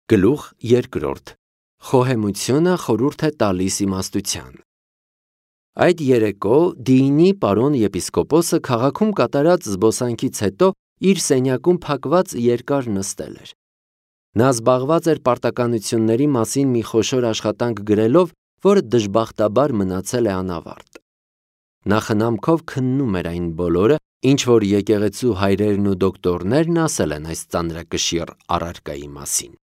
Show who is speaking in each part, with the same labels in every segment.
Speaker 1: Գլուխ երկրորդ. Խոհեմությունը խորհուրդ է տալիս իմաստության։ Այդ երեկո Դիինի պարոն եպիսկոպոսը քաղաքում կատարած զբոսանքից հետո իր սենյակում փակված երկար նստել էր։ Նա զբաղված էր պարտականությունների մասին մի խոշոր աշխատանք գրելով, որը դժբախտաբար մնացել է անավարտ։ Նա խնամքով քննում էր այն բոլորը, ինչ որ եկեղեցու հայրերն ու դոկտորներն ասել են այս ծանրակշիռ առարկայի մասին։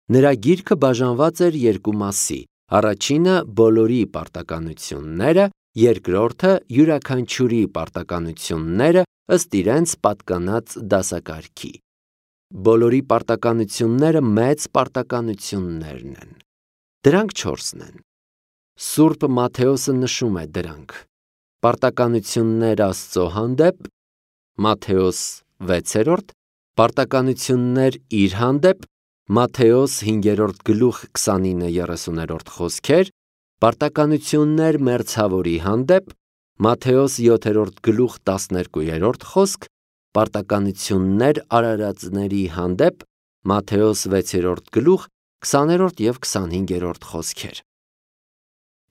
Speaker 1: Նրա գիրքը բաժանված էր երկու մասի. առաջինը բոլորի պարտականությունները, երկրորդը յուրաքանչյուրի պարտականությունները ըստ իրենց պատկանած դասակարգի։ Բոլորի պարտականությունները մեծ պարտականություններն են։ Դրանք 4-ն են։ Սուրբ Մատթեոսը նշում է դրանք. Պարտականություններ Աստծո հանդեպ, Մատթեոս 6, պարտականություններ իր հանդեպ, Մատթեոս 5 գլուխ 29-30 խոսքեր, պարտականություններ մերձավորի հանդեպ, Մատթեոս 7 գլուխ 12 խոսք, պարտականություններ արարածների հանդեպ, Մատթեոս 6 գլուխ 20 և 25 խոսքեր։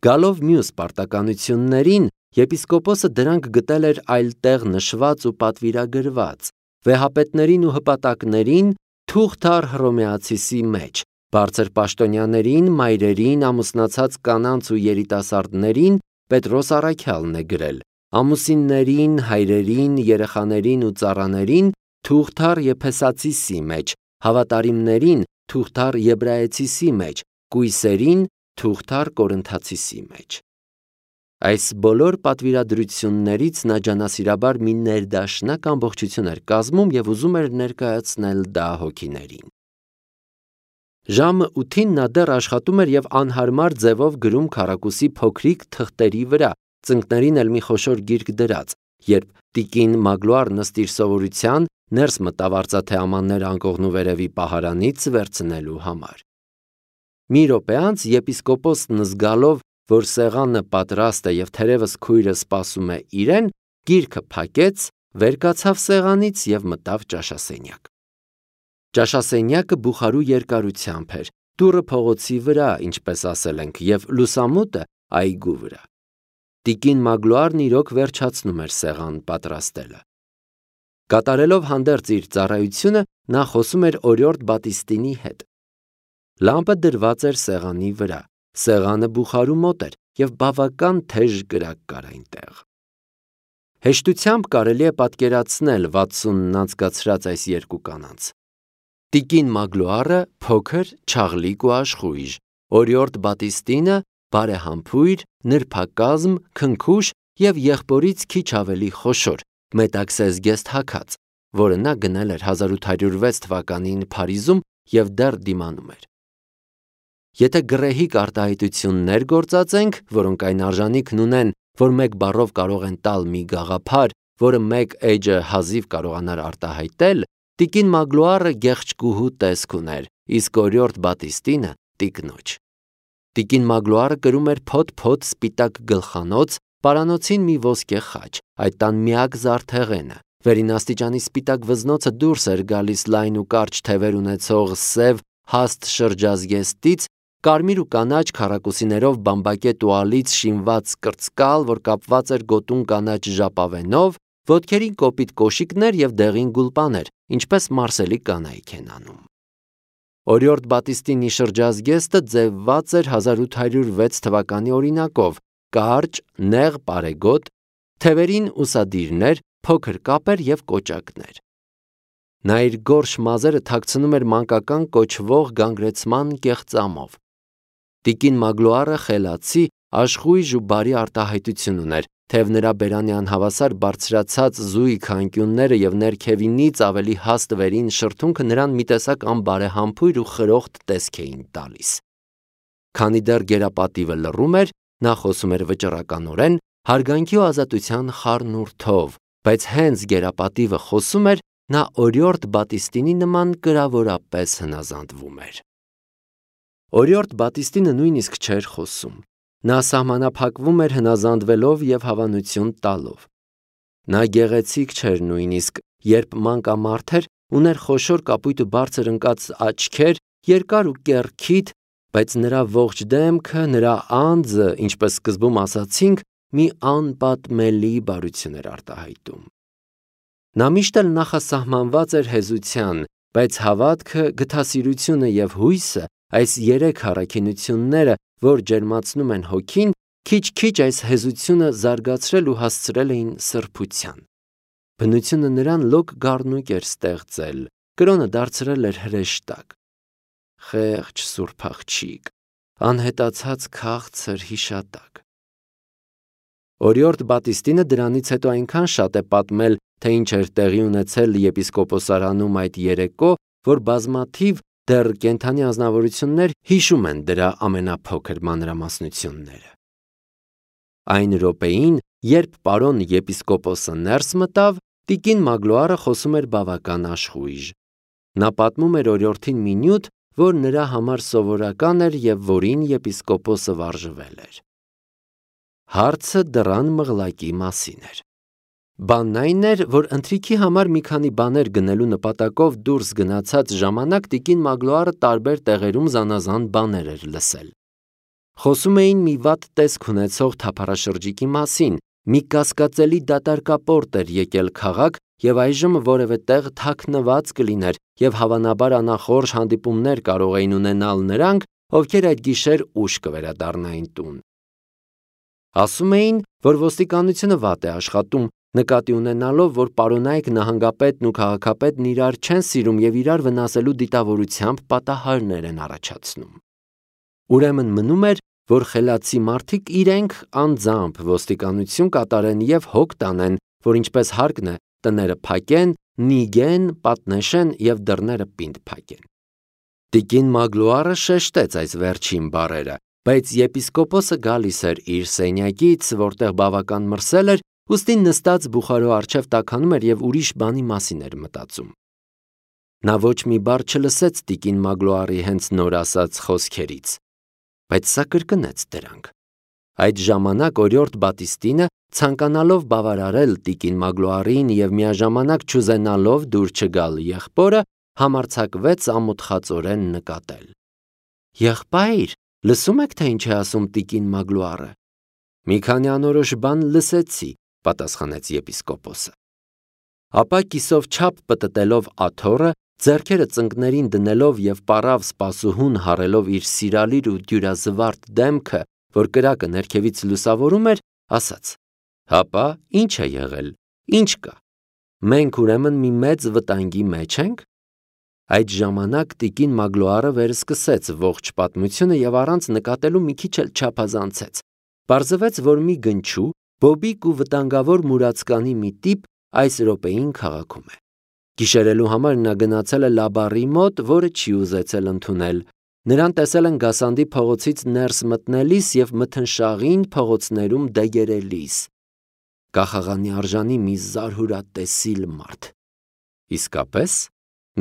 Speaker 1: Գալով մյուս պարտականություններին, եպիսկոպոսը դրանք գտել էր այլտեղ նշված ու պատվիրագրված, վեհապետներին ու հպատակներին, թուղթ առ Հռոմեացիսի մեջ, բարձր պաշտոնյաներին, մայրերին, ամուսնացած կանանց ու երիտասարդներին Պետրոս առաքյալն է գրել, ամուսիններին, հայրերին, երեխաներին ու ծառաներին թուղթ առ Եփեսացիսի մեջ, հավատարիմներին թուղթ առ Եբրայեցիսի մեջ, կույսերին թուղթ առ Կորինթացիսի մեջ։ Այս բոլոր պատվիրադրություններից նա ջանասիրաբար մի ներդաշնակ ամբողջություն էր կազմում և ուզում էր ներկայացնել դա հոգիներին։ Ժամը 8-ին նա դեռ աշխատում էր և անհարմար ձևով գրում քառակուսի փոքրիկ թղթերի վրա, ծնկներին էլ մի խոշոր գիրք դրած, երբ տիկին Մագլուարն ըստ իր սովորության ներս մտավ արծաթե ամաններ անկողնու վերևի պահարանից վերցնելու համար։ Մի րոպե անց եպիսկոպոսն զգալով, որ սեղանը պատրաստ է և թերևս քույրը սպասում է իրեն, գիրքը փակեց, վեր կացավ սեղանից և մտավ ճաշասենյակ։ Ճաշասենյակը բուխարու երկարությամբ էր, դուռը փողոցի վրա, ինչպես ասել ենք, և լուսամուտը այգու վրա։ Տիկին Մագլուարն իրոք վերջացնում էր սեղան պատրաստելը։ Կատարելով հանդերձ իր ծառայությունը, նա խոսում էր օրիորդ Բատիստինի հետ։ Լամպը դրված էր սեղանի վրա, սեղանը բուխարու մոտ էր և բավական թեժ կրակ կար այնտեղ։ Հեշտությամբ կարելի է պատկերացնել 60-ն անցկացրած այս երկու կանանց։ Տիկին Մագլուարը փոքր, չաղլիկ ու աշխույժ, օրիորդ Բատիստինը բարեհամբույր, նրբակազմ, քնքուշ և եղբորից քիչ ավելի խոշոր, մետաքսե զգեստ հագած, որը նա գնել էր 1806 թվականին Փարիզում և դեռ դիմանում էր։ Եթե գռեհիկ արտահայտություններ գործածենք, որոնք այն արժանիքն ունեն, որ մեկ բառով կարող են տալ մի գաղափար, որը մեկ էջը հազիվ կարողանար արտահայտել, տիկին Մագլուարը գեղեցկուհու տեսք ուներ, իսկ օրիորդ Բատիստինը տիկնոջ։ Տիկին Մագլուարը կրում էր փոթ-փոթ սպիտակ գլխանոց, պարանոցին մի ոսկե խաչ, այդ տան միակ զարդեղենը, վերին աստիճանի սպիտակ վզնոցը դուրս էր գալիս լայն ու կարճ թևեր ունեցող սև հաստ շրջազգեստից, կարմիր ու կանաչ քառակուսիներով բամբակե տուալից շինված կրծկալ, որ կապված էր գոտուն կանաչ ժապավենով, ոտքերին կոպիտ կոշիկներ և դեղին գուլպաներ, ինչպես մարսելի կանայք են անում։ Օրիորդ Բատիստինի շրջազգեստը ձևված էր 1806 թվականի օրինակով, կարճ, նեղ պարեգոտ, թևերին ուսադիրներ, փոքր կապեր և կոճակներ։ Նա իր գորշ մազերը թաքցնում էր մանկական կոչվող գանգրեցման կեղծամով։ Տիկին Մագլուարը խելացի, աշխույժ ու բարի արտահայտություն ուներ, թեև նրա բերանի անհավասար բարձրացած զույգ անկյունները և ներքևինից ավելի հաստ վերին շրթունքը նրան մի տեսակ անբարեհամբույր ու խրոխտ տեսք էին տալիս։ Քանի դեռ գերապատիվը լռում էր, նա խոսում էր վճռականորեն, հարգանքի ու ազատության խառնուրդով, բայց հենց գերապատիվը խոսում էր, նա օրիորդ Բատիստինի նման կրավորապես հնազանդվում էր։ Օրիորդ Բատիստինը նույնիսկ չէր խոսում։ Նա սահմանափակվում էր հնազանդվելով և հավանություն տալով։ Նա գեղեցիկ չէր նույնիսկ, երբ մանկամարդ էր, ուներ խոշոր կապույտ ու բարձր ընկած աչքեր երկար ու կեռքիթ, բայց նրա ողջ դեմքը, նրա անձը, ինչպես սկզբում ասացինք, մի անպատմելի բարություն էր արտահայտում։ Նա միշտ էլ նախասահմանված էր հեզության, բայց հավատքը, գթասիրությունը և հույսը, այս երեք առաքինությունները, որ ջերմացնում են հոգին, քիչ-քիչ այս հեզությունը զարգացրել ու հասցրել էին սրբության։ Բնությունը նրան լոկ գառնուկ էր ստեղծել, կրոնը դարձրել էր հրեշտակ։ Խեղճ սուրբ աղջիկ, անհետացած քաղցր հիշատակ։ Օրիորդ Բատիստինը դրանից հետո այնքան շատ է պատմել, թե ինչ էր տեղի ունեցել եպիսկոպոսարանում այդ երեկո, որ բազմաթիվ դեռ կենդանի ազնվորություններ հիշում են դրա ամենափոքր մանրամասնությունները։ Այն րոպեին, երբ պարոն եպիսկոպոսը ներս մտավ, տիկին Մագլոարը խոսում էր բավական աշխույժ։ Նա պատմում էր օրիորդին մի նյութ, որ նրա համար սովորական էր և որին եպիսկոպոսը վարժվել էր։ Հարցը դռան մղլակի մասին էր։ Բանն այն էր, որ ընթրիքի համար մի քանի բաներ գնելու նպատակով դուրս գնացած ժամանակ տիկին Մագլոարը տարբեր տեղերում զանազան բաներ էր լսել։ Խոսում էին մի վատ տեսք ունեցող թափառաշրջիկի մասին, մի կասկածելի դատարկապորտ էր եկել քաղաք և այժմ որևէ տեղ թաքնված կլիներ և հավանաբար անախորժ հանդիպումներ կարող էին ունենալ նրանք, ովքեր այդ գիշեր ուշ կվերադառնային տուն։ Ասում էին, որ ոստիկանությունը վատ է աշխատում, նկատի ունենալով, որ պարոնայք նահանգապետն ու քաղաքապետն իրար չեն սիրում և իրար վնասելու դիտավորությամբ պատահարներ են առաջացնում։ Ուրեմն մնում էր, որ խելացի մարդիկ իրենք անձամբ ոստիկանություն կատարեն և հոգ տանեն, որ ինչպես հարկն է, տները փակեն, նիգեն, պատնեշեն և դռները պինդ փակեն։ Տիկին Մագլոարը շեշտեց այս վերջին բառերը, բայց եպիսկոպոսը գալիս էր իր սենյակից, որտեղ բավական մրսել էր, ուստի նստած բուխարու առջև տաքանում էր և ուրիշ բանի մասին էր մտածում։ Նա ոչ մի բառ չլսեց տիկին Մագլոարի հենց նոր ասած խոսքերից, բայց սա կրկնեց դրանք։ Այդ ժամանակ օրիորդ Բատիստինը, ցանկանալով բավարարել տիկին Մագլոարին և միաժամանակ չուզենալով դուր չգալ եղբորը, համարձակվեց ամոթխածորեն նկատել. «Եղբայր, լսում եք, թե ինչ է ասում տիկին Մագլոարը»։ «Մի քանի անորոշ բան լսեցի», պատասխանեց եպիսկոպոսը։ Ապա կիսով չափ պտտելով աթոռը, ձեռքերը ծնկներին դնելով և պառավ սպասուհուն հառելով իր սիրալիր ու դյուրազվարթ դեմքը, որ կրակը ներքևից լուսավորում էր, ասաց. «Հապա, ինչ է եղել, ինչ կա։ Մենք ուրեմն մի մեծ վտանգի մեջ ենք»։ Այդ ժամանակ տիկին Մագլոարը վերսկսեց ողջ պատմությունը և առանց նկատելու մի քիչ էլ չափազանցեց։ Պարզվեց, որ մի գնչու, բոբիկ ու վտանգավոր մուրացկանի մի տիպ այս րոպեին քաղաքում է։ Գիշերելու համար նա գնացել է Լաբառի մոտ, որը չի ուզեցել ընդունել։ Նրան տեսել են Գասանդի փողոցից ներս մտնելիս և մթնշաղին փողոցներում դեգերելիս։ Կախաղանի արժանի մի զարհուրատեսիլ մարդ։ Իսկապես,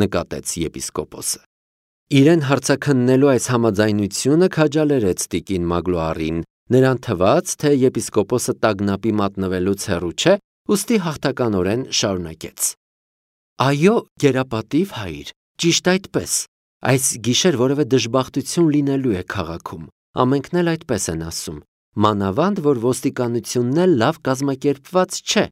Speaker 1: նկատեց եպիսկոպոսը։ Իրեն հարցաքննելու այս համաձայնությունը քաջալերեց տիկին Մագլոարին, նրան թվաց, թե եպիսկոպոսը տագնապի մատնվելուց հեռու չէ, ուստի հաղթականորեն շարունակեց. «Այո, գերապատիվ հայր, ճիշտ այդպես, այս գիշեր որևէ դժբախտություն լինելու է քաղաքում, ամենքն էլ այդպես են ասում, մանավանդ, որ ոստիկանությունն էլ լավ կազմակերպված չէ,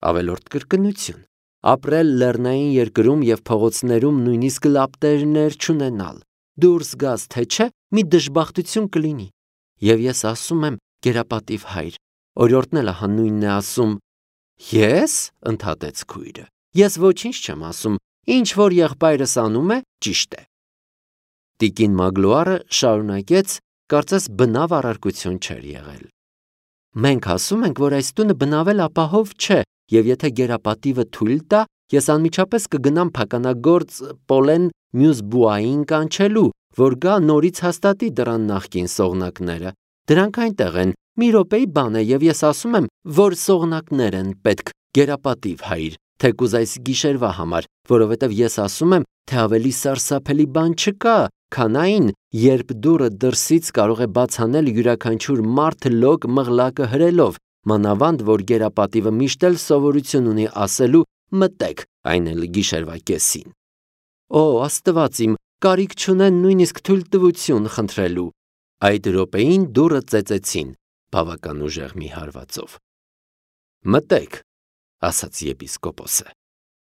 Speaker 1: ավելորդ կրկնություն, ապրել լեռնային երկրում և փողոցներում նույնիսկ լապտերներ չունենալ, դուրս գաս թե չէ, մի դժբախտություն կլինի, և ես ասում եմ, գերապատիվ հայր, օրիորդն էլ ահա նույնն է ասում»։ «Ես», ընդհատեց քույրը, «ես ոչինչ չեմ ասում, ինչ որ եղբայրս անում է, ճիշտ է»։ Տիկին Մագլոարը շարունակեց, կարծես բնավ առարկություն չէր եղել. «Մենք ասում ենք, որ այս տունը բնավել ապահով չէ, և եթե գերապատիվը թույլ տա, ես անմիջապես կգնամ փականագործ Պոլեն մյուս բուային կանչելու, որ գա նորից հաստատի դռան նախկին սողնակները։ Դրանք այնտեղ են, մի րոպեի բան է, և ես ասում եմ, որ սողնակներ են պետք, գերապատիվ հայր, թեկուզ այս գիշերվա համար, որովհետև ես ասում եմ, թե ավելի սարսափելի բան չկա, քան այն, երբ դուռը դրսից կարող է բաց անել յուրաքանչյուր մարդ լոկ մղլակը հրելով, մանավանդ, որ գերապատիվը միշտ էլ սովորություն ունի ասելու՝ մտեք, այն էլ գիշերվա կեսին։ Օ, Աստված իմ, կարիք չունեն նույնիսկ թույլտվություն խնդրելու։ Այդ րոպեին դուռը ծեծեցին բավական ուժեղ մի հարվածով։ «Մտեք», ասաց եպիսկոպոսը։